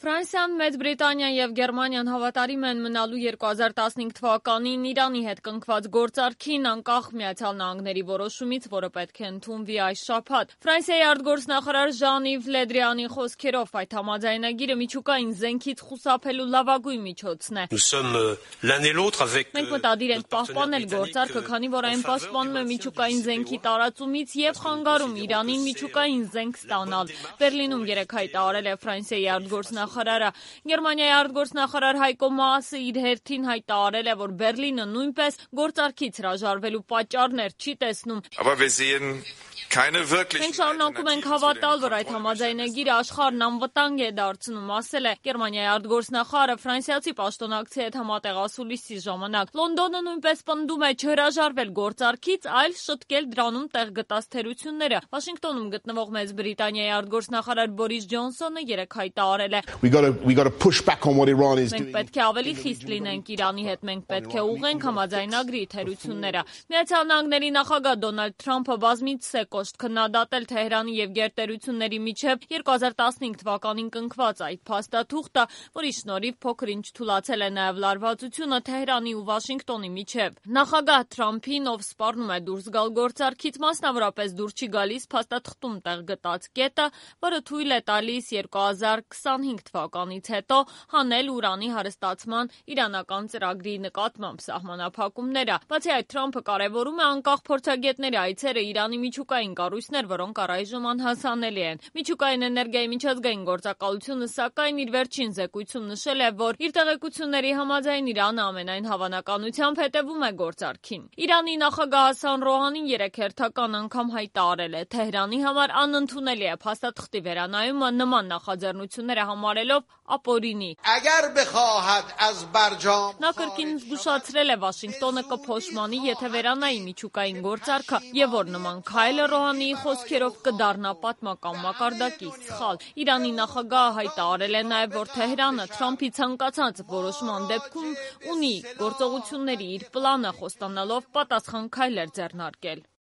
Ֆրանսիան, Մեծ Բրիտանիան եւ Գերմանիան հավատարիմ են մնալու 2015 թվականին Իրանի հետ կնքված գործարքին անկախ Միացյալ Նահանգների որոշումից, որը պետք է ընդունվի այս շաբաթ։ Ֆրանսիայի արտգործնախարար Ժան-Իվ Լե Դրիանի խոսքերով այդ համաձայնագիրը միջուկային զենքից խուսափելու լավագույն միջոցն է։ Մենք մտադիր ենք պահպանել գործարքը, քանի որ այն պաշտպանում է միջուկային զենքի տարածումից եւ խանգարում Իրանին միջուկային զենք ստանալ։ Բերլինում երեկ հայտարարել է Ֆրանսիայի արտգործնախարարը։ Գերմանիայի արտգործնախարար Հայկո Մասը իր հերթին հայտարարել է, որ Բերլինը նույնպես գործարքից հրաժարվելու պատճառներ չի տեսնում։ Մենք շարունակում ենք հավատալ, որ այդ համաձայնագիրը աշխարհն անվտանգ է դարձնում, ասել է Գերմանիայի արտգործնախարարը ֆրանսիացի պաշտոնակցի հետ համատեղ ասուլիսի ժամանակ։ Լոնդոնը նույնպես պնդում է չհրաժարվել գործարքից, այլ շտկել դրանում տեղ գտած թերությունները։ Վաշինգտոնում գտնվող Մեծ Բրիտանիայի արտգործնախարար Բորիս Ջոնսոնը երեկ հայտարարել է. Մենք պետք է ավելի խիստ լինենք Իրանի հետ, մենք պետք է ուղղենք համաձայնագրի թերությունները։ Միացյալ Նահանգների նախագահ Դոնալդ Թրամփը բազմիցս է կոշտ քննադատել Թեհրանի եւ գերտերությունների միջև 2015 թվականին կնքված այդ փաստաթուղթը, որի շնորհիվ փոքր-ինչ թուլացել է նաեւ լարվածությունը Թեհրանի ու Վաշինգտոնի միջև։ Նախագահ Թրամփին, ով սպառնում է դուրս գալ գործարքից, մասնավորապես դուրս չի գալիս փաստաթղթում տեղ գտած կետը, որը թույլ է տալիս 2025 թվականից հետո հանել ուրանի հարստացման իրանական ծրագրի նկատմամբ սահմանափակումները։ Բացի այդ, Թրամփը կարևորում է անկախ փորձագետների այցերը Իրանի միջուկային կառույցներ, որոնք առայժմ անհասանելի են։ Միջուկային էներգիայի միջազգային գործակալությունը, սակայն, իր վերջին զեկույցում նշել է, որ իր տեղեկությունների համաձայն Իրանը ամենայն հավանականությամբ հետևում է գործարքին։ Իրանի նախագահ Հասան Ռոհանին երեկ հերթական անգամ հայտարարել է. Թեհրանի համար անընդունելի է փաստաթղթի վերանայումը, նման նախաձեռնությունները համարելով ապօրինի։ Նա կրկին զգուշացրել է Վաշինգտոնը կփոշմանի, եթե վերանայի միջուկային գործարքը, եւ որ նման քայլը Ռոհանիի խոսքերով կդառնա պատմական մակարդակի սխալ։ Իրանի նախագահը հայտարարել է նաեւ, որ Թեհրանը Թրամփի ցանկացած որոշման դեպքում ունի գործողությունների իր պլանը, խոստանալով պատասխան քայլեր ձեռնարկել։